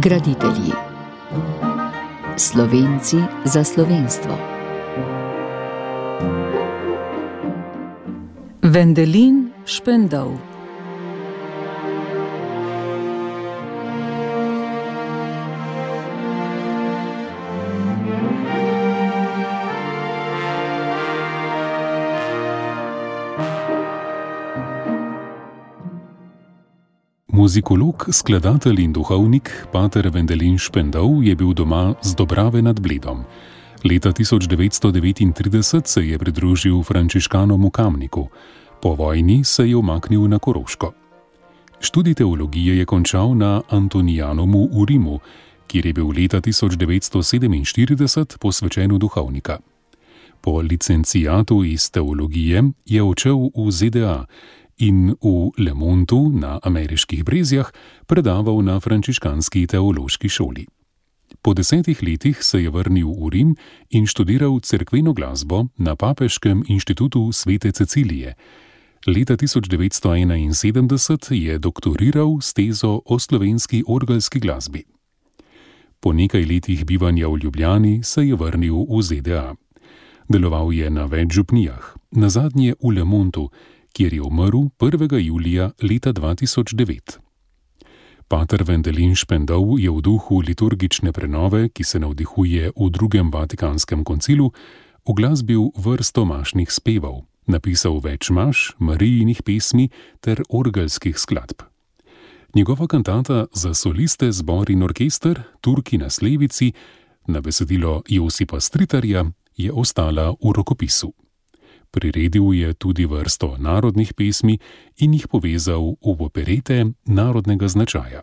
Graditelji. Slovenci za slovenstvo. Vendelin Špendov. Muzikolog, skladatelj in duhovnik pater Vendelin Špendov je bil doma z Dobrave nad Bledom. Leta 1939 se je pridružil frančiškanom v Kamniku. Po vojni se je umaknil na Koroško. Študij teologije je končal na Antonijanomu v Rimu, kjer je bil leta 1947 posvečen v duhovnika. Po licenciatu iz teologije je odšel v ZDA in v Le Montu na ameriških Brezjah predaval na frančiškanski teološki šoli. Po 10 letih se je vrnil v Rim in študiral cerkveno glasbo na Papeškem inštitutu Svete Cecilije. Leta 1971 je doktoriral s tezo o slovenski orgelski glasbi. Po nekaj letih bivanja v Ljubljani se je vrnil v ZDA. Deloval je na več župnijah, nazadnje v Le Montu, kjer je umrl 1. julija leta 2009. Pater Vendelin Špendov je v duhu liturgične prenove, ki se navdihuje v drugem Vatikanskem koncilu, uglasbil vrsto mašnih spevov, napisal več maš, Marijinih pesmi ter orgelskih skladb. Njegova kantata za soliste, zbor in orkester Turki na Slevici na besedilo Josipa Stritarja je ostala v rokopisu. Priredil je tudi vrsto narodnih pesmi in jih povezal v operete narodnega značaja.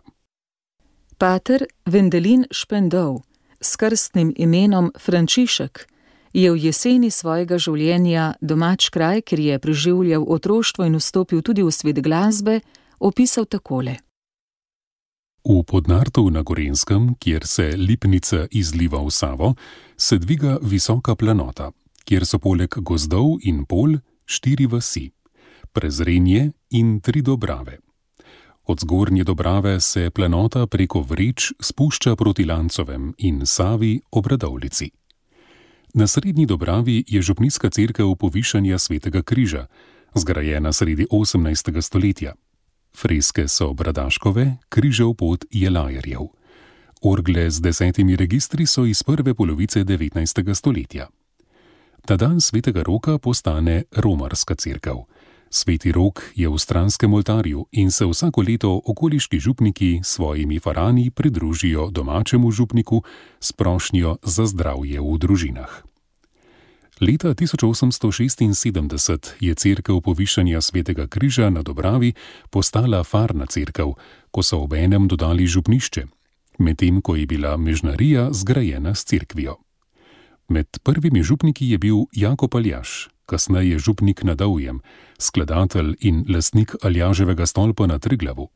Pater Vendelin Špendov s krstnim imenom Frančišek je v jeseni svojega življenja domač kraj, kjer je preživljal otroštvo in vstopil tudi v svet glasbe, opisal takole. V Podnartu na Gorenjskem, kjer se Lipnica izliva v Savo, se dviga visoka planota, kjer so poleg gozdov in polj 4 vasi, Prezrenje in 3 Dobrave. Od zgornje Dobrave se planota preko Vreč spušča proti Lancovem in Savi ob Radovljici. Na srednji Dobravi je župnijska cerkev Povišanja Svetega križa, zgrajena sredi 18. stoletja. Freske so Bradaškove, križev pot Jelajerjev. Orgle z 10 registri so iz prve polovice 19. stoletja. Ta dan Svetega Roka postane romarska cerkev. Sveti Rok je v stranskem oltarju in se vsako leto okoliški župniki svojimi farani pridružijo domačemu župniku s prošnjo za zdravje v družinah. Leta 1876 je cerkev Povišanja Svetega križa na Dobravi postala farna cerkev, ko so obenem dodali župnišče, medtem ko je bila mežnarija zgrajena s cerkvijo. Med prvimi župniki je bil Jakob Aljaž, kasneje župnik na Dovjem, skladatelj in lastnik Aljaževega stolpa na Triglavu.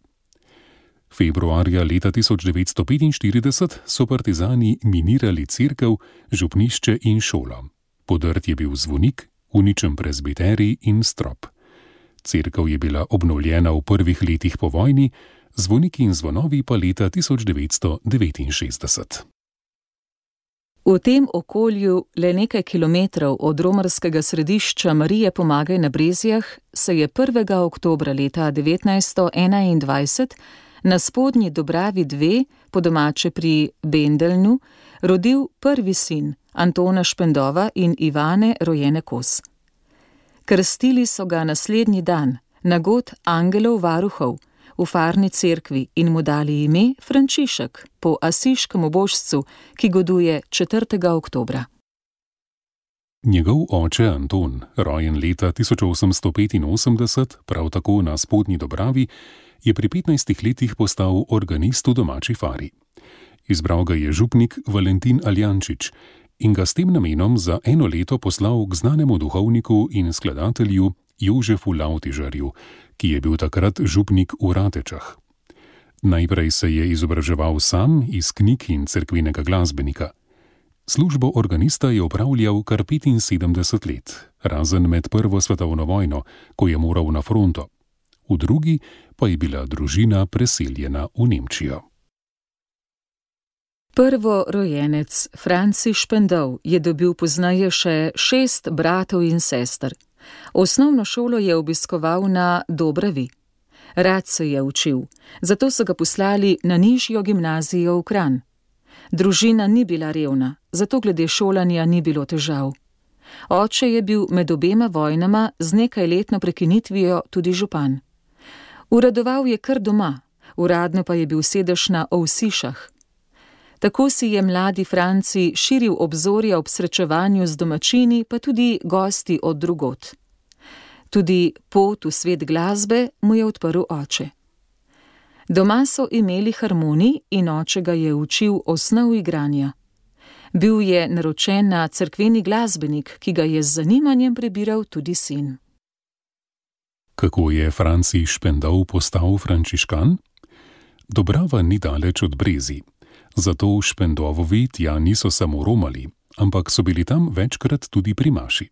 Februarja leta 1945 so partizani minirali cerkev, župnišče in šolo. Podrt je bil zvonik, uničen prezbiterij in strop. Cerkev je bila obnovljena v prvih letih po vojni, zvoniki in zvonovi pa leta 1969. V tem okolju, le nekaj kilometrov od romarskega središča Marije Pomagaj na Brezjah, se je 1. oktobra leta 1921 na spodnji Dobravi 2, po domače pri Bendelnu, rodil prvi sin Antona Špendova in Ivane, rojene Kos. Krstili so ga naslednji dan, na god angelov varuhov, v farni cerkvi in mu dali ime Frančišek po asiškem božcu, ki goduje 4. oktobra. Njegov oče Anton, rojen leta 1885, prav tako na spodnji Dobravi, je pri 15 letih postal organist v domači fari. Izbral ga je župnik Valentin Aljančič in ga s tem namenom za 1 leto poslal k znanemu duhovniku in skladatelju Jožefu Lavtižarju, ki je bil takrat župnik v Ratečah. Najprej se je izobraževal sam iz knjig in cerkvenega glasbenika. Službo organista je opravljal kar 75 let, razen med Prvo svetovno vojno, ko je moral na fronto. V drugi pa je bila družina preseljena v Nemčijo. Prvorojenec Franci Špendov je dobil pozneje še 6 bratov in sester. Osnovno šolo je obiskoval na Dobravi. Rad se je učil, zato so ga poslali na nižjo gimnazijo v Kranj. Družina ni bila revna, zato glede šolanja ni bilo težav. Oče je bil med obema vojnama z nekajletno prekinitvijo tudi župan. Uradoval je kar doma, uradno pa je bil sedež na Ovsišah. Tako si je mladi Franci širil obzorja ob srečevanju z domačini, pa tudi gosti od drugod. Tudi pot v svet glasbe mu je odprl oče. Doma so imeli harmonij in oče ga je učil osnov igranja. Bil je naročen na cerkveni glasbenik, ki ga je z zanimanjem prebiral tudi sin. Kako je Franci Špendov postal frančiškan? Dobrava ni daleč od Brezij. Zato Špendovovi tja niso samo romali, ampak so bili tam večkrat tudi pri maši.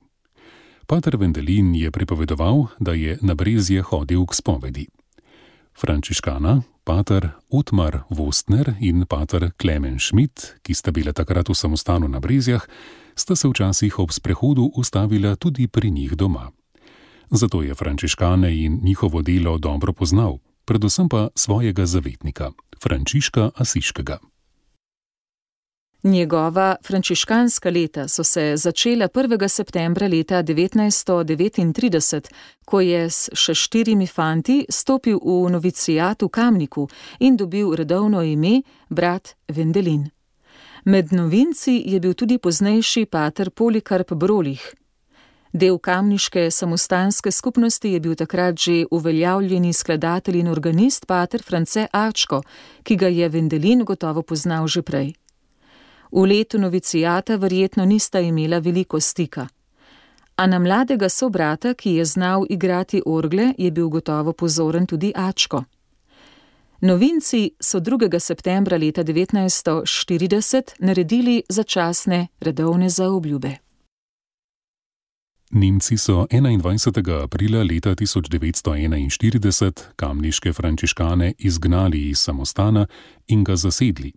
Pater Vendelin je pripovedoval, da je na Brezje hodil k spovedi. Frančiškana, pater Otmar Vostner in pater Klemen Schmidt, ki sta bila takrat v samostanu na Brezjah, sta se včasih ob sprehodu ustavila tudi pri njih doma. Zato je frančiškane in njihovo delo dobro poznal, predvsem pa svojega zavetnika, Frančiška Asiškega. Njegova frančiškanska leta so se začela 1. septembra leta 1939, ko je s še 4 fanti stopil v novicijat v Kamniku in dobil redovno ime brat Vendelin. Med novinci je bil tudi poznejši pater Polikarp Brolih. Del kamniške samostanske skupnosti je bil takrat že uveljavljeni skladatelj in organist pater France Ačko, ki ga je Vendelin gotovo poznal že prej. V letu novicijata verjetno nista imela veliko stika. A na mladega sobrata, ki je znal igrati orgle, je bil gotovo pozoren tudi Ačko. Novinci so 2. septembra leta 1940 naredili začasne redovne zaobljube. Nemci so 21. aprila leta 1941 kamniške frančiškane izgnali iz samostana in ga zasedli.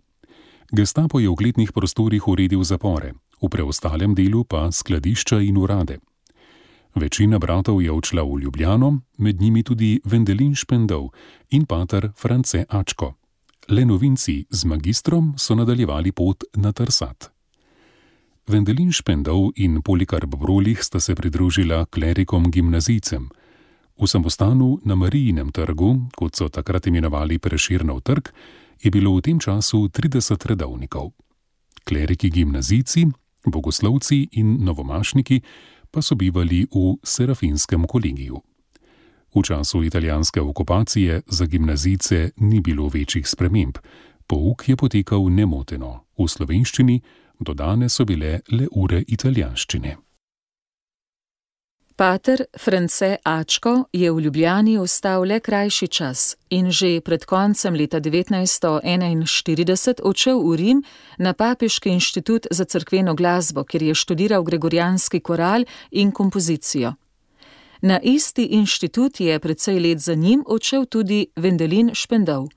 Gestapo je v glednih prostorih uredil zapore, v preostalem delu pa skladišča in urade. Večina bratov je odšla v Ljubljano, med njimi tudi Vendelin Špendov in pater France Ačko. Le novinci z magistrom so nadaljevali pot na Trsat. Vendelin Špendov in Polikarp Brolih sta se pridružila klerikom gimnazijcem. V samostanu na Marijinem trgu, kot so takrat imenovali Prešernov trg, je bilo v tem času 30 redovnikov. Kleriki gimnazijci, bogoslovci in novomašniki pa so bivali v Serafinskem kolegiju. V času italijanske okupacije za gimnazijce ni bilo večjih sprememb. Pouk je potekal nemoteno, v slovenščini, dodane so bile le ure italijanščine. Pater France Ačko je v Ljubljani ostal le krajši čas in že pred koncem leta 1941 odšel v Rim na Papeški inštitut za cerkveno glasbo, kjer je študiral gregorijanski koral in kompozicijo. Na isti inštitut je precej let za njim odšel tudi Vendelin Špendov.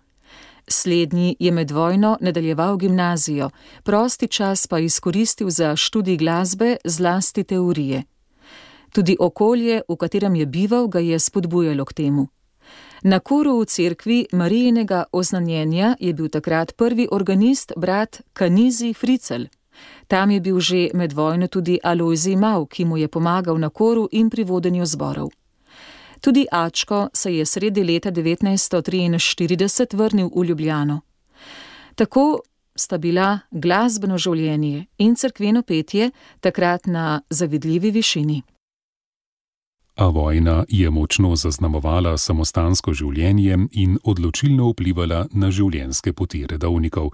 Slednji je med vojno nadaljeval gimnazijo, prosti čas pa izkoristil za študij glasbe, zlasti teorije. Tudi okolje, v katerem je bival, ga je spodbujalo k temu. Na koru v cerkvi Marijinega oznanjenja je bil takrat prvi organist brat Kanizi Fricel. Tam je bil že med vojno tudi Alojzij Mav, ki mu je pomagal na koru in pri vodenju zborov. Tudi Ačko se je sredi leta 1943 vrnil v Ljubljano. Tako sta bila glasbeno življenje in cerkveno petje takrat na zavidljivi višini. A vojna je močno zaznamovala samostansko življenje in odločilno vplivala na življenjske poti redovnikov.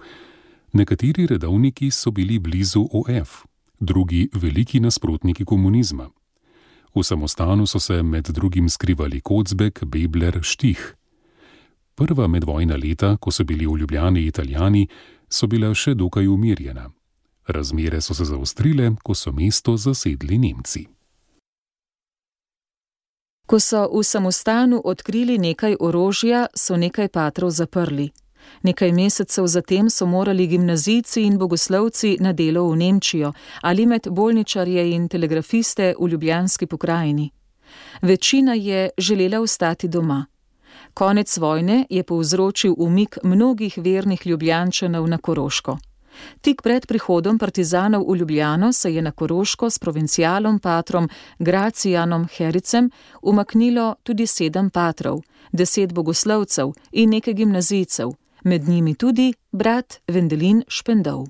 Nekateri redovniki so bili blizu OF, drugi veliki nasprotniki komunizma. V samostanu so se med drugim skrivali Kocbek, Bebler, Štih. Prva medvojna leta, ko so bili v Ljubljani Italijani, so bila še dokaj umirjena. Razmere so se zaostrile, ko so mesto zasedli Nemci. Ko so v samostanu odkrili nekaj orožja, so nekaj patrov zaprli. Nekaj mesecev zatem so morali gimnazijci in bogoslovci na delo v Nemčijo ali med bolničarje in telegrafiste v Ljubljanski pokrajini. Večina je želela ostati doma. Konec vojne je povzročil umik mnogih vernih Ljubljančanov na Koroško. Tik pred prihodom partizanov v Ljubljano se je na Koroško s provincialom patrom Gracijanom Hericem umaknilo tudi 7 patrov, 10 bogoslovcev in nekaj gimnazijcev, med njimi tudi brat Vendelin Špendov.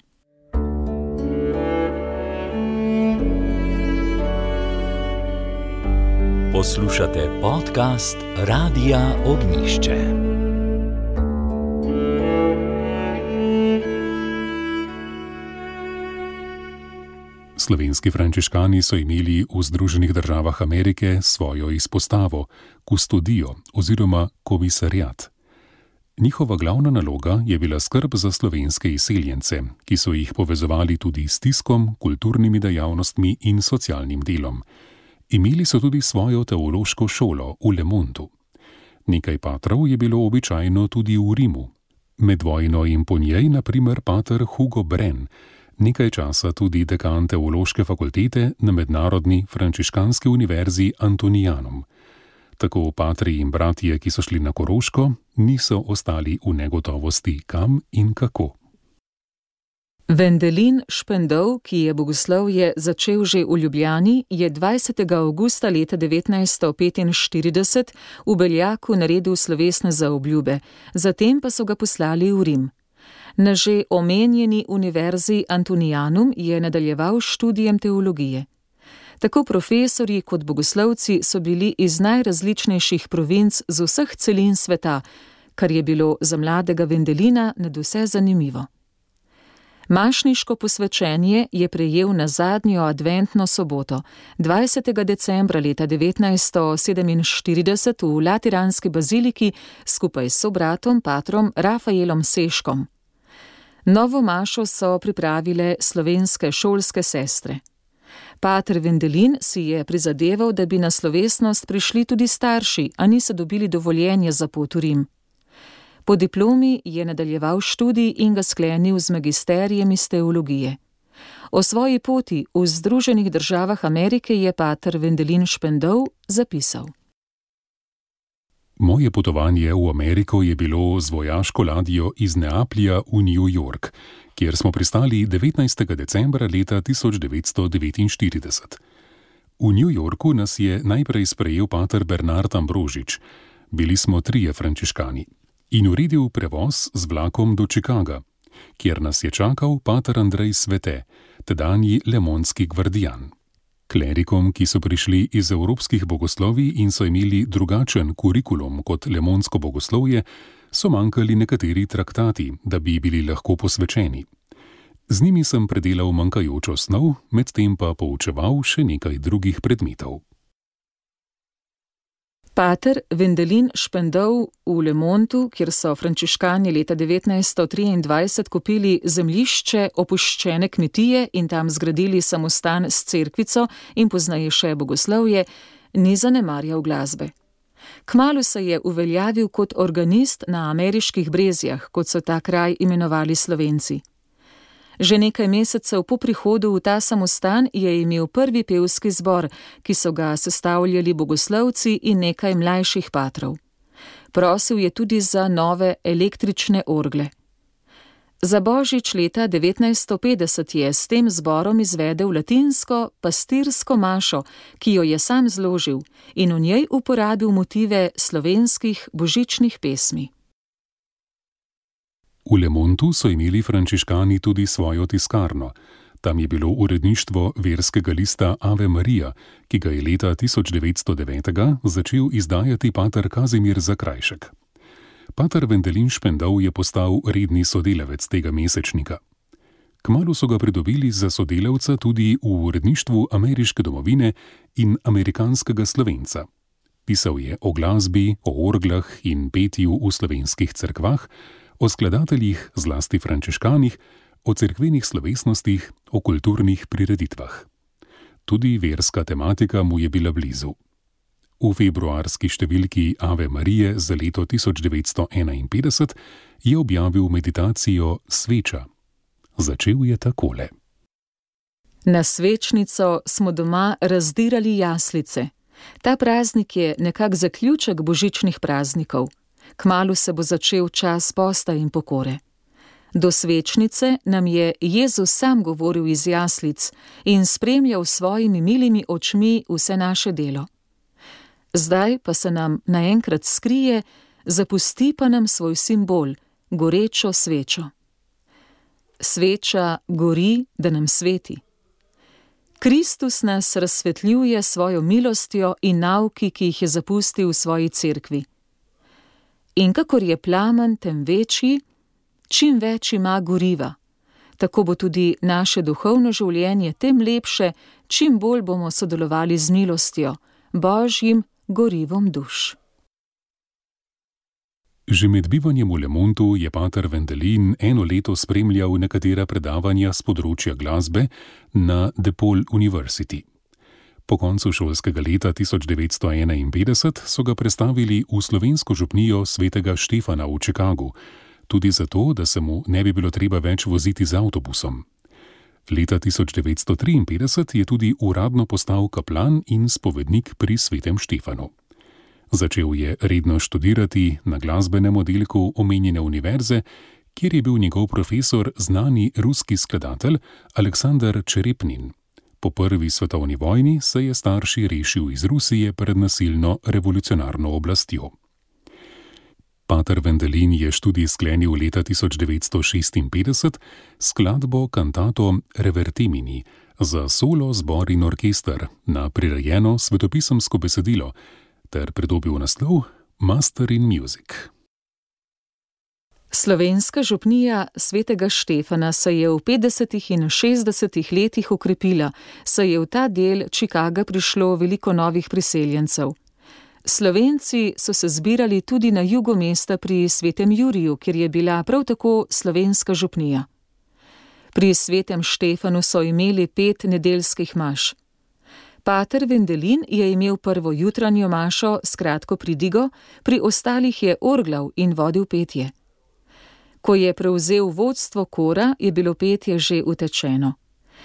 Poslušate podcast Radia Ognjišče. Slovenski frančiškani so imeli v Združenih državah Amerike svojo izpostavo, kustodijo oziroma komisariat. Njihova glavna naloga je bila skrb za slovenske izseljence, ki so jih povezovali tudi s tiskom, kulturnimi dejavnostmi in socialnim delom. Imeli so tudi svojo teološko šolo v Le Montu. Nekaj patrov je bilo običajno tudi v Rimu. Med vojno in po njej, na primer, pater Hugo Bren, nekaj časa tudi dekan teološke fakultete na Mednarodni frančiškanski univerzi Antonianum. Tako patri in bratje, ki so šli na Koroško, niso ostali v negotovosti, kam in kako. Vendelin Špendov, ki je bogoslovje začel že v Ljubljani, je 20. avgusta leta 1945 v Beljaku naredil slovesne zaobljube, zatem pa so ga poslali v Rim. Na že omenjeni univerzi Antonianum je nadaljeval s študijem teologije. Tako profesorji kot bogoslovci so bili iz najrazličnejših provinc z vseh celin sveta, kar je bilo za mladega Vendelina nadvse zanimivo. Mašniško posvečenje je prejel na zadnjo adventno soboto, 20. decembra leta 1947 v Lateranski baziliki skupaj s sobratom patrom Rafaelom Seškom. Novo mašo so pripravile slovenske šolske sestre. Pater Vendelin si je prizadeval, da bi na slovesnost prišli tudi starši, a niso dobili dovoljenja za pot v Rim. Po diplomi je nadaljeval študij in ga sklenil z magisterijem iz teologije. O svoji poti v Združenih državah Amerike je pater Vendelin Špendov zapisal. Moje potovanje v Ameriko je bilo z vojaško ladjo iz Neaplja v New York, kjer smo pristali 19. decembra leta 1949. V New Yorku nas je najprej sprejel pater Bernard Ambrožič, bili smo 3 frančiškani, in uredil prevoz z vlakom do Chicaga, kjer nas je čakal pater Andrej Svete, tedanji lemonski gvardijan. Klerikom, ki so prišli iz evropskih bogoslovij in so imeli drugačen kurikulum kot lemonsko bogoslovje, so manjkali nekateri traktati, da bi bili lahko posvečeni. Z njimi sem predelal manjkajočo snov, medtem pa poučeval še nekaj drugih predmetov. Pater Vendelin Špendov v Le Montu, kjer so frančiškani leta 1923 kupili zemljišče opuščene kmetije in tam zgradili samostan s cerkvico in pozneje še bogoslovje, ni zanemarjal glasbe. Kmalu se je uveljavil kot organist na ameriških Brezjah, kot so ta kraj imenovali Slovenci. Že nekaj mesecev po prihodu v ta samostan je imel prvi pevski zbor, ki so ga sestavljali bogoslovci in nekaj mlajših patrov. Prosil je tudi za nove električne orgle. Za božič leta 1950 je s tem zborom izvedel latinsko pastirsko mašo, ki jo je sam zložil in v njej uporabil motive slovenskih božičnih pesmi. V Le Montu so imeli frančiškani tudi svojo tiskarno. Tam je bilo uredništvo verskega lista Ave Maria, ki ga je leta 1909 začel izdajati pater Kazimir Zakrajšek. Pater Vendelin Špendov je postal redni sodelavec tega mesečnika. Kmalu so ga pridobili za sodelavca tudi v uredništvu Ameriške domovine in Amerikanskega Slovenca. Pisal je o glasbi, o orglah in petju v slovenskih cerkvah, o skladateljih, zlasti frančiškanih, o cerkvenih slovesnostih, o kulturnih prireditvah. Tudi verska tematika mu je bila blizu. V februarski številki Ave Marije za leto 1951 je objavil meditacijo Sveča. Začel je takole. Na svečnico smo doma razdirali jaslice. Ta praznik je nekak zaključek božičnih praznikov. Kmalu se bo začel čas posta in pokore. Do svečnice nam je Jezus sam govoril iz jaslic in spremljal s svojimi milimi očmi vse naše delo. Zdaj pa se nam naenkrat skrije, zapusti pa nam svoj simbol, gorečo svečo. Sveča gori, da nam sveti. Kristus nas razsvetljuje svojo milostjo in nauki, ki jih je zapustil v svoji cerkvi. In kakor je plamen tem večji, čim več ima goriva. Tako bo tudi naše duhovno življenje tem lepše, čim bolj bomo sodelovali z milostjo, Božjim gorivom duš. Že med bivanjem v Le Mondu je pater Wendelin eno leto spremljal nekatera predavanja z področja glasbe na DePaul University. Po koncu šolskega leta 1951 so ga prestavili v slovensko župnijo svetega Štefana v Chicagu, tudi zato, da se mu ne bi bilo treba več voziti z avtobusom. Leta 1953 je tudi uradno postal kaplan in spovednik pri svetem Štefanu. Začel je redno študirati na glasbenem oddelku omenjene univerze, kjer je bil njegov profesor znani ruski skladatelj Aleksandar Čerepnin. Po prvi svetovni vojni se je starši rešil iz Rusije pred nasilno revolucionarno oblastjo. Pater Wendelin je študij sklenil leta 1956 skladbo kantato Revertemini za solo, zbor in orkester na prirejeno svetopisemsko besedilo ter pridobil naslov Master in Music. Slovenska župnija svetega Štefana se je v 50. in 60. letih okrepila, saj je v ta del Chicaga prišlo veliko novih priseljencev. Slovenci so se zbirali tudi na jugu mesta pri svetem Juriju, kjer je bila prav tako slovenska župnija. Pri svetem Štefanu so imeli 5 nedeljskih maš. Pater Wendelin je imel prvo jutranjo mašo s kratko pridigo, pri ostalih je orglal in vodil petje. Ko je prevzel vodstvo kora, je bilo petje že utečeno.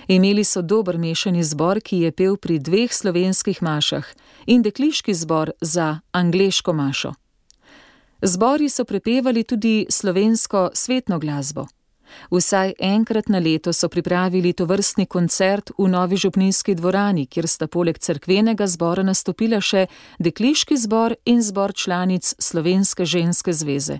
Imeli so dober mešani zbor, ki je pel pri 2 slovenskih mašah in dekliški zbor za angleško mašo. Zbori so prepevali tudi slovensko svetno glasbo. Vsaj enkrat na leto so pripravili tovrstni koncert v novi župnijski dvorani, kjer sta poleg cerkvenega zbora nastopila še dekliški zbor in zbor članic Slovenske ženske zveze.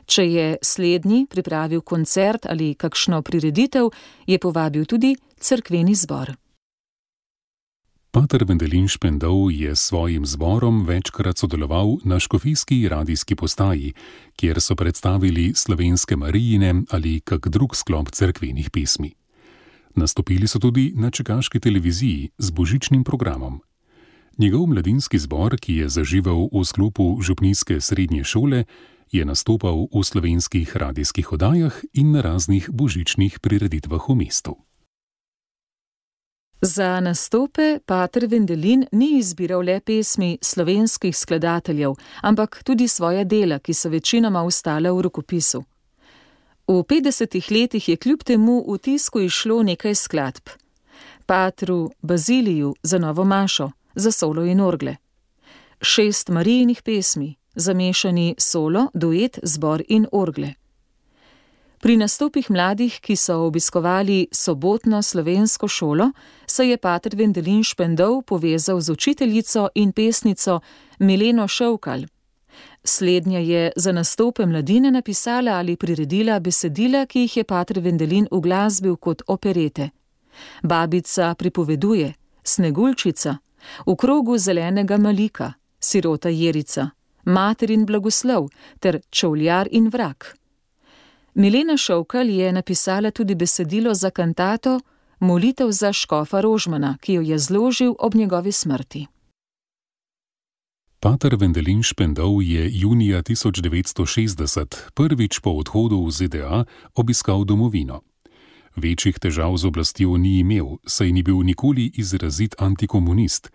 Če je slednji pripravil koncert ali kakšno prireditev, je povabil tudi cerkveni zbor. Pater Wendelin Špendov je s svojim zborom večkrat sodeloval na škofijski radijski postaji, kjer so predstavili slovenske Marijine ali kak drug sklop cerkvenih pesmi. Nastopili so tudi na čikaški televiziji z božičnim programom. Njegov mladinski zbor, ki je zaživel v sklopu župnijske srednje šole, je nastopal v slovenskih radijskih oddajah in na raznih božičnih prireditvah v mestu. Za nastope pater Wendelin ni izbiral le pesmi slovenskih skladateljev, ampak tudi svoja dela, ki so večinoma ostala v rokopisu. V 50. letih je kljub temu v tisku izšlo nekaj skladb. Patru Baziliju za novo mašo, za solo in orgle. 6 Marijinih pesmi, zamešani solo, duet, zbor in orgle. Pri nastopih mladih, ki so obiskovali sobotno slovensko šolo, se je pater Wendelin Špendov povezal z učiteljico in pesnico Mileno Šovkal. Slednja je za nastope mladine napisala ali priredila besedila, ki jih je pater Wendelin uglasbil kot operete. Babica pripoveduje, Sneguljčica, V krogu zelenega malika, Sirota Jerica, Materin blagoslov ter Čovljar in vrag. Milena Šovkal je napisala tudi besedilo za kantato Molitev za škofa Rožmana, ki jo je zložil ob njegovi smrti. Pater Wendelin Špendov je junija 1960 prvič po odhodu v ZDA obiskal domovino. Večjih težav z oblastjo ni imel, saj ni bil nikoli izrazit antikomunist.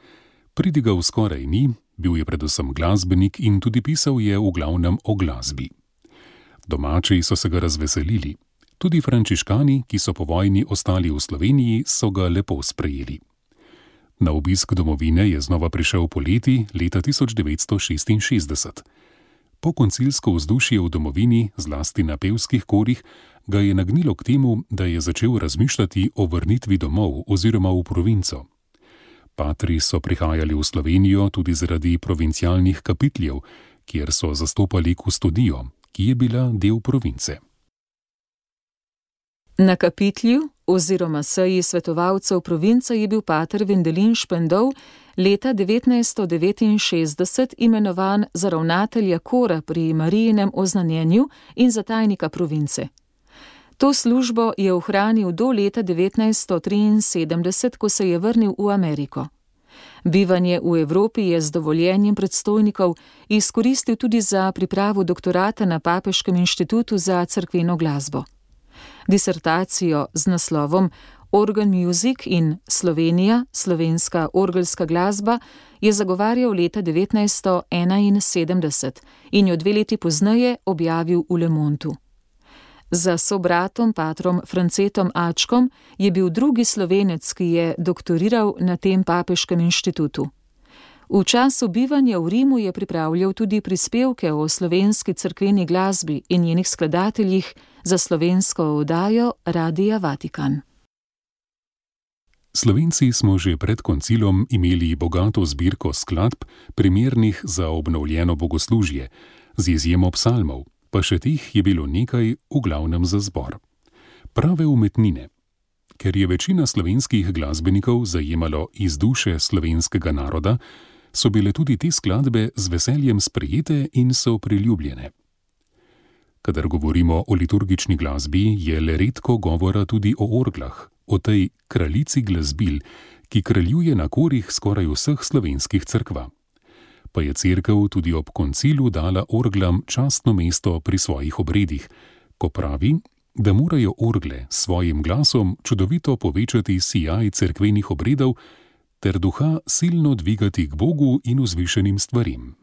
Pridigal skoraj ni, bil je predvsem glasbenik in tudi pisal je v glavnem o glasbi. Domači so se ga razveselili. Tudi frančiškani, ki so po vojni ostali v Sloveniji, so ga lepo sprejeli. Na obisk domovine je znova prišel poleti leta 1966. Po koncilsko vzdušje v domovini, zlasti na pevskih korih, ga je nagnilo k temu, da je začel razmišljati o vrnitvi domov oziroma v provinco. Patri so prihajali v Slovenijo tudi zaradi provincialnih kapitljev, kjer so zastopali kustodijo, ki je bila del province. Na kapitlju oziroma seji svetovalcev province je bil pater Vendelin Špendov leta 1969 imenovan za ravnatelja kora pri Marijinem oznanjenju in za tajnika province. To službo je ohranil do leta 1973, ko se je vrnil v Ameriko. Bivanje v Evropi je z dovoljenjem predstojnikov izkoristil tudi za pripravo doktorata na Papeškem inštitutu za cerkveno glasbo. Disertacijo z naslovom Organ Music in Slovenija, slovenska orgelska glasba je zagovarjal leta 1971 in jo 2 leti pozneje objavil v Le Mondu. Za sobratom patrom Francetom Ačkom je bil drugi Slovenec, ki je doktoriral na tem papeškem inštitutu. V času bivanja v Rimu je pripravljal tudi prispevke o slovenski cerkveni glasbi in njenih skladateljih za slovensko oddajo Radia Vatikan. Slovenci smo že pred koncilom imeli bogato zbirko skladb, primernih za obnovljeno bogoslužje, z izjemo psalmov, pa še teh je bilo nekaj, v glavnem za zbor. Prave umetnine. Ker je večina slovenskih glasbenikov zajemalo iz duše slovenskega naroda, so bile tudi te skladbe z veseljem sprejete in so priljubljene. Kadar govorimo o liturgični glasbi, je le redko govora tudi o orglah, o tej kraljici glasbil, ki kraljuje na korih skoraj vseh slovenskih cerkva. Pa je cerkev tudi ob koncilu dala orglam častno mesto pri svojih obredih, ko pravi, da morajo orgle s svojim glasom čudovito povečati sijaj cerkvenih obredov ter duha silno dvigati k Bogu in vzvišenim stvarim.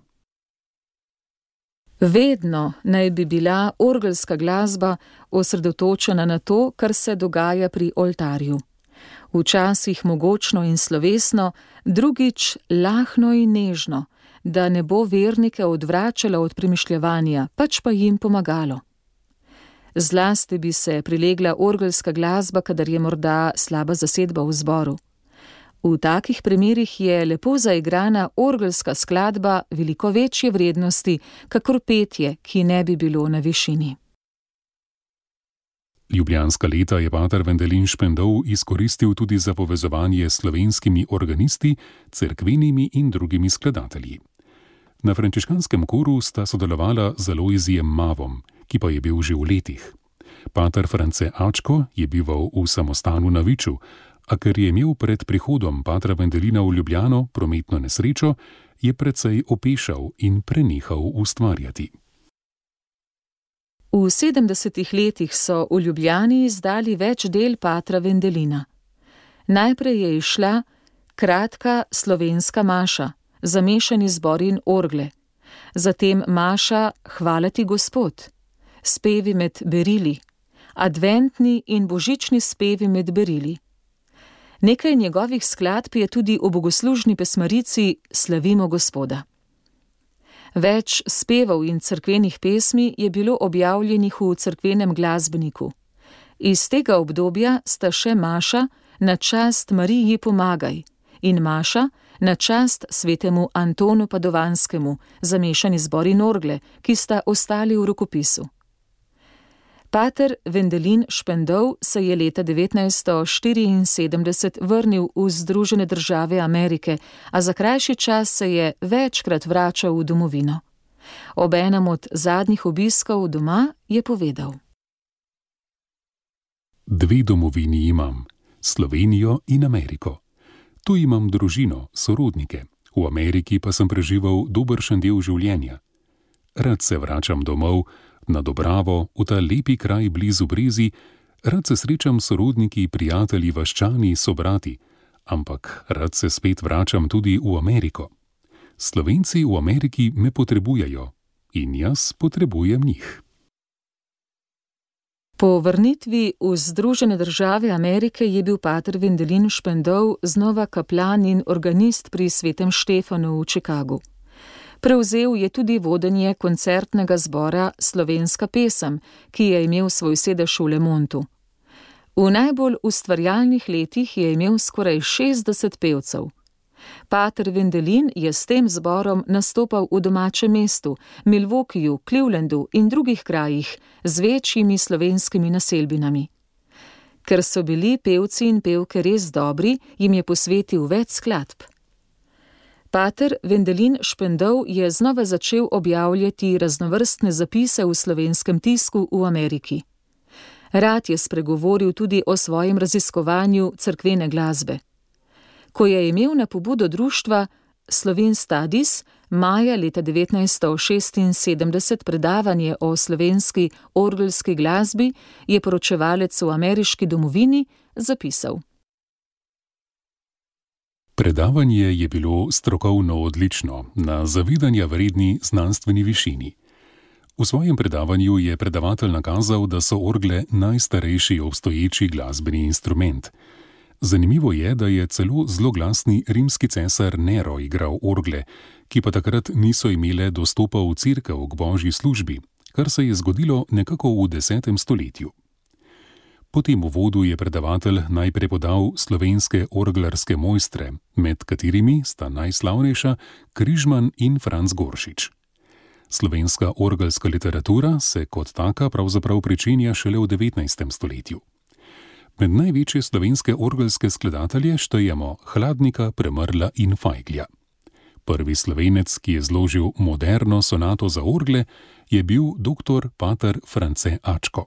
Vedno naj bi bila orgelska glasba osredotočena na to, kar se dogaja pri oltarju. Včasih mogočno in slovesno, drugič lahno in nežno, da ne bo vernike odvračalo od premišljevanja, pač pa jim pomagalo. Zlasti bi se prilegla orgelska glasba, kadar je morda slaba zasedba v zboru. V takih primerih je lepo zaigrana orgelska skladba veliko večje vrednosti, kakor petje, ki ne bi bilo na višini. Ljubljanska leta je pater Vendelin Špendov izkoristil tudi za povezovanje s slovenskimi organisti, cerkvenimi in drugimi skladatelji. Na frančiškanskem koru sta sodelovala z Alojzijem Mavom, ki pa je bil že v letih. Pater France Ačko je bival v samostanu na Viču, a ker je imel pred prihodom patra Vendelina v Ljubljano prometno nesrečo, je precej opešal in prenehal ustvarjati. V 70. letih so v Ljubljani izdali več del patra Vendelina. Najprej je izšla kratka slovenska maša, zamešani zbor in orgle, zatem maša Hvala ti Gospod, spevi med berili, adventni in božični spevi med berili. Nekaj njegovih skladb je tudi v bogoslužni pesmarici Slavimo Gospoda. Več spevov in cerkvenih pesmi je bilo objavljenih v cerkvenem glasbeniku. Iz tega obdobja sta še maša Na čast Mariji pomagaj in maša Na čast svetemu Antonu Padovanskemu, zamešani zbor in orgle, ki sta ostali v rokopisu. Pater Vendelin Špendov se je leta 1974 vrnil v Združene države Amerike, a za krajši čas se je večkrat vračal v domovino. Ob enem od zadnjih obiskov doma je povedal: 2 domovini imam, Slovenijo in Ameriko. Tu imam družino, sorodnike, v Ameriki pa sem preživel dobršen del življenja. Rad se vračam domov, na Dobravo, v ta lepi kraj blizu Brezi, rad se srečam s sorodniki, prijatelji, vaščani, sobrati, ampak rad se spet vračam tudi v Ameriko. Slovenci v Ameriki me potrebujejo in jaz potrebujem njih. Po vrnitvi v Združene države Amerike je bil pater Wendelin Spendov znova kaplan in organist pri Svetem Štefanu v Chicagu. Prevzel je tudi vodenje koncertnega zbora Slovenska pesem, ki je imel svoj sedež v Lemontu. V najbolj ustvarjalnih letih je imel skoraj 60 pevcev. Pater Wendelin je s tem zborom nastopal v domačem mestu, Milwaukeeju, Clevelandu in drugih krajih z večjimi slovenskimi naselbinami. Ker so bili pevci in pevke res dobri, jim je posvetil več skladb. Pater Wendelin Spendov je znova začel objavljati raznovrstne zapise v slovenskem tisku v Ameriki. Rad je spregovoril tudi o svojem raziskovanju cerkvene glasbe. Ko je imel na pobudo društva Slovene Studies maja leta 1976 predavanje o slovenski orgelski glasbi, je poročevalec v ameriški domovini zapisal. Predavanje je bilo strokovno odlično, na zavidanja vredni znanstveni višini. V svojem predavanju je predavatelj nakazal, da so orgle najstarejši obstoječi glasbeni instrument. Zanimivo je, da je celo zloglasni rimski cesar Nero igral orgle, ki pa takrat niso imele dostopa v cerkev k božji službi, kar se je zgodilo nekako v 10. stoletju. Po tem uvodu je predavatelj najprej podal slovenske orglarske mojstre, med katerimi sta najslavnejša Križman in Franc Goršič. Slovenska orgelska literatura se kot taka pravzaprav pričenja šele v 19. stoletju. Med največje slovenske orgelske skladatelje štejemo Hladnika, Premrla in Fajglja. Prvi Slovenec, ki je zložil moderno sonato za orgle, je bil dr. pater France Ačko.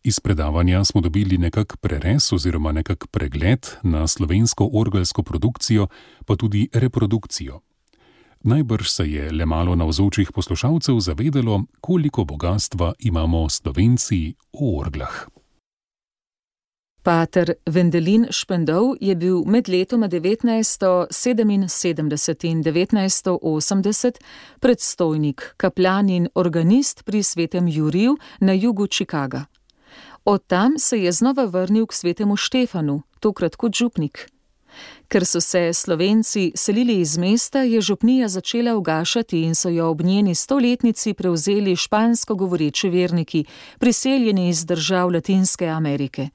Iz predavanja smo dobili nekak prerez oziroma nekak pregled na slovensko orgelsko produkcijo, pa tudi reprodukcijo. Najbrž se je le malo navzočih poslušalcev zavedelo, koliko bogastva imamo Slovenci v orglah. Pater Wendelin Spendov je bil med letoma 1977 in 1980 predstojnik, kaplan in organist pri Svetem Juriju na jugu Chicaga. Od tam se je znova vrnil k Svetemu Štefanu, tokrat kot župnik. Ker so se Slovenci selili iz mesta, je župnija začela ugašati in so jo ob njeni 100-letnici prevzeli špansko govoreči verniki, priseljeni iz držav Latinske Amerike.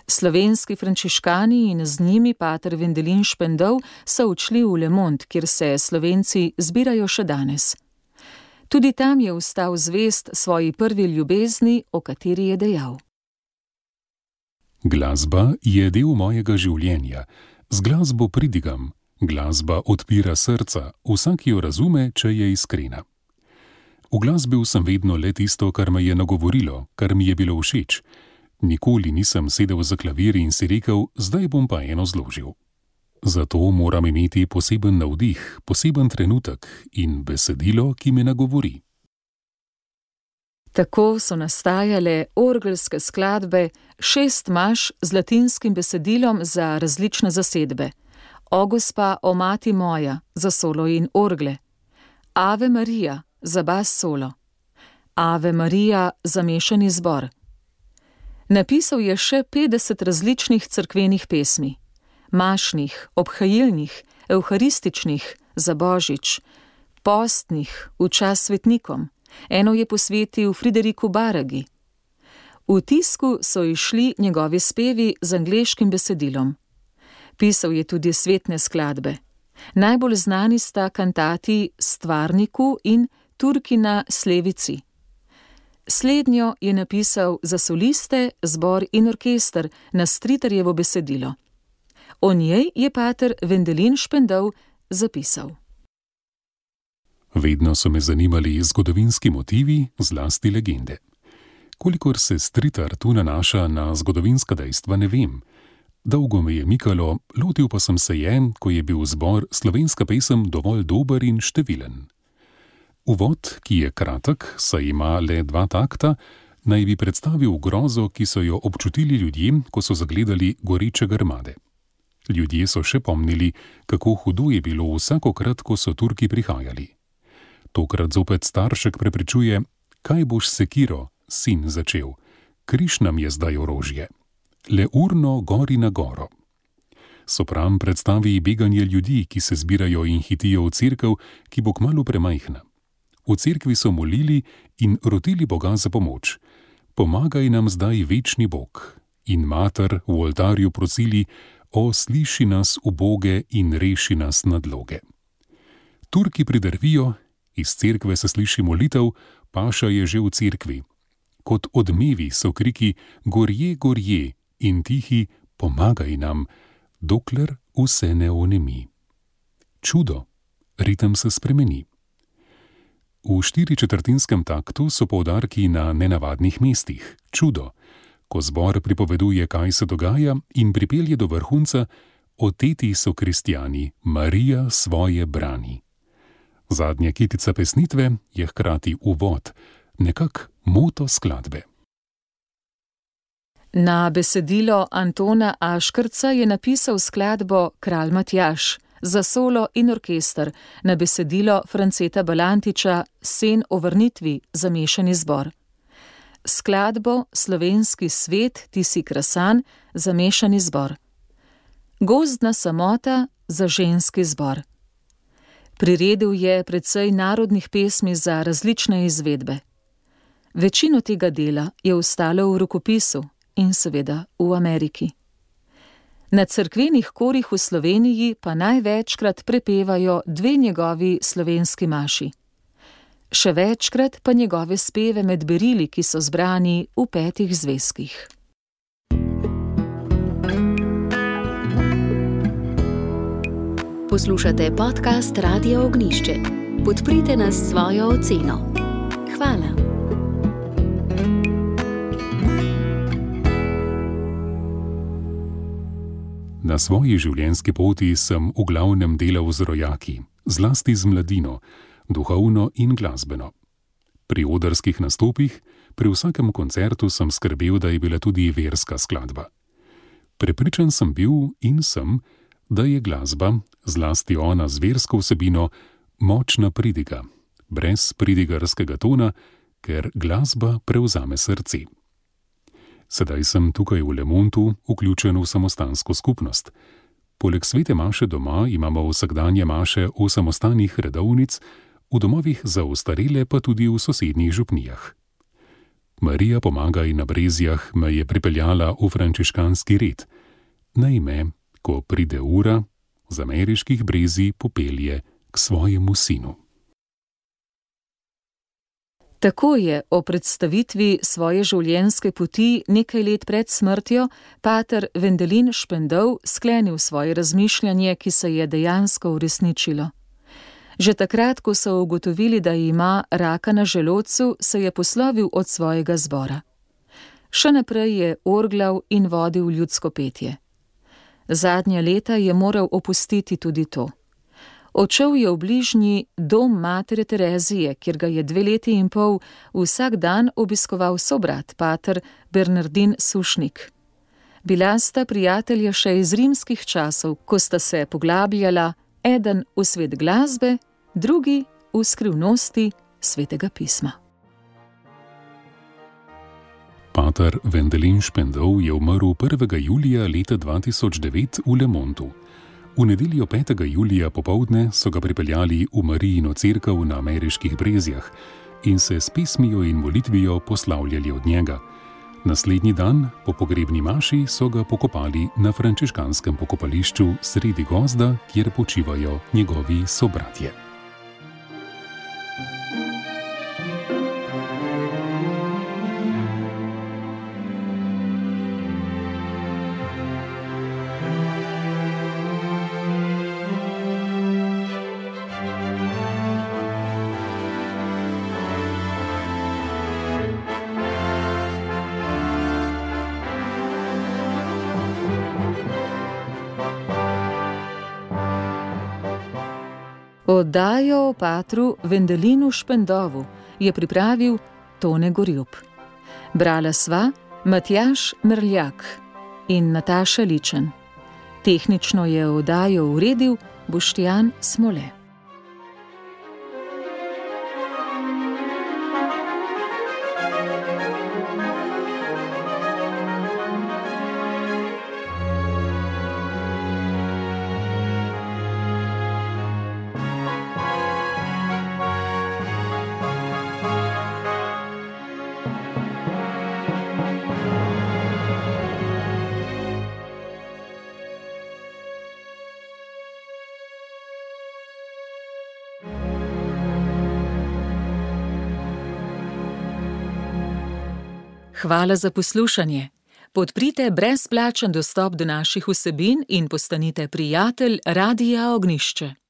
Slovenski frančiškani in z njimi pater Wendelin Spendov so odšli v Le Monde, kjer se Slovenci zbirajo še danes. Tudi tam je ostal zvest svoji prvi ljubezni, o kateri je dejal. Glasba je del mojega življenja. Z glasbo pridigam. Glasba odpira srca. Vsak jo razume, če je iskrena. Uglasbil sem vedno le tisto, kar me je nagovorilo, kar mi je bilo všeč. Nikoli nisem sedel za klavir in si rekel, zdaj bom pa eno zložil. Zato moram imeti poseben navdih, poseben trenutek in besedilo, ki me nagovori. Tako so nastajale orgelske skladbe, 6 maš z latinskim besedilom za različne zasedbe. O gospa, o mati moja za solo in orgle. Ave Marija za bas solo. Ave Marija za mešani zbor. Napisal je še 50 različnih cerkvenih pesmi. Mašnih, obhajilnih, evharističnih, za božič, postnih, v čas svetnikom. Eno je posvetil Frideriku Baragi. V tisku so izšli njegovi spevi z angleškim besedilom. Pisal je tudi svetne skladbe. Najbolj znani sta kantati Stvarniku in Turkina Slevici. Slednjo je napisal za soliste, zbor in orkester na Stritarjevo besedilo. O njej je pater Wendelin Spendov zapisal. Vedno so me zanimali zgodovinski motivi, zlasti legende. Kolikor se Stritar tu nanaša na zgodovinska dejstva, ne vem. Dolgo me je mikalo, lotil pa sem se je, ko je bil zbor Slovenska pesem dovolj dober in številen. Uvod, ki je kratek, saj ima le 2 takta, naj bi predstavil grozo, ki so jo občutili ljudje, ko so zagledali goreče grmade. Ljudje so še pomnili, kako hudo je bilo vsakokrat, ko so Turki prihajali. Tokrat zopet staršek prepričuje, kaj boš s sekiro, sin začel, križ nam je zdaj orožje. Le urno gori na goro. Sopran predstavi beganje ljudi, ki se zbirajo in hitijo v cerkev, ki bo kmalu premajhna. V cerkvi so molili in rotili Boga za pomoč. Pomagaj nam zdaj večni Bog. In mater v oltarju prosili, o, sliši nas, uboge, in reši nas nadloge. Turki pridrvijo, iz cerkve se sliši molitev, paša je že v cerkvi. Kot odmevi so kriki, gorje, gorje, in tihi, pomagaj nam, dokler vse ne onemi. Čudo, ritem se spremeni. V 4/4 taktu so poudarki na nenavadnih mestih. Čudo, ko zbor pripoveduje, kaj se dogaja, in pripelje do vrhunca, oteti so kristjani, Marija svoje brani. Zadnja kitica pesnitve je hkrati uvod, nekak moto skladbe. Na besedilo Antona Aškrca je napisal skladbo Kralj Matjaž za solo in orkester, na besedilo Franceta Balantiča Sen o vrnitvi za mešani zbor. Skladbo Slovenski svet, ti si krasan za mešani zbor. Gozdna samota za ženski zbor. Priredil je precej narodnih pesmi za različne izvedbe. Večino tega dela je ostalo v rokopisu in seveda v Ameriki. Na cerkvenih korih v Sloveniji pa največkrat prepevajo 2 njegovi slovenski maši. Še večkrat pa njegove speve med berili, ki so zbrani v 5 zvezkih. Poslušate podcast Radia Ognišče. Podprite nas s svojo oceno. Hvala. Na svoji življenjski poti sem v glavnem delal z rojaki, zlasti z mladino, duhovno in glasbeno. Pri odrskih nastopih, pri vsakem koncertu sem skrbel, da je bila tudi verska skladba. Prepričan sem bil in sem, da je glasba, zlasti ona z versko vsebino, močna pridiga, brez pridigarskega tona, ker glasba prevzame srce. Sedaj sem tukaj v Le Montu vključen v samostansko skupnost. Poleg svete maše doma imamo vsakdanje maše v samostanih redovnic, v domovih za ostarele pa tudi v sosednjih župnijah. Marija pomagaj na Brezjah me je pripeljala v frančiškanski red. Naj me, ko pride ura, z ameriških Brezij popelje k svojemu sinu. Tako je o predstavitvi svoje življenjske poti nekaj let pred smrtjo pater Vendelin Špendov sklenil svoje razmišljanje, ki se je dejansko uresničilo. Že takrat, ko so ugotovili, da ima raka na želodcu, se je poslovil od svojega zbora. Še naprej je orglal in vodil ljudsko petje. Zadnja leta je moral opustiti tudi to. Odšel je v bližnji dom matere Terezije, kjer ga je 2,5 leta vsak dan obiskoval sobrat, pater Bernardin Sušnik. Bila sta prijatelja še iz rimskih časov, ko sta se poglabljala, eden v svet glasbe, drugi v skrivnosti svetega pisma. Pater Vendelin Špendov je umrl 1. julija leta 2009 v Le Montu. V nedeljo 5. julija popoldne so ga pripeljali v Marijino cerkev na ameriških Brezjah in se s pesmijo in molitvijo poslavljali od njega. Naslednji dan, po pogrebni maši, so ga pokopali na frančiškanskem pokopališču sredi gozda, kjer počivajo njegovi sobratje. Oddajo o patru Vendelinu Špendovu je pripravil Tone Gorjup. Brala sva Matjaž Merljak in Nataša Ličen. Tehnično je oddajo uredil Boštjan Smole. Hvala za poslušanje. Podprite brezplačen dostop do naših vsebin in postanite prijatelj Radia Ognjišče.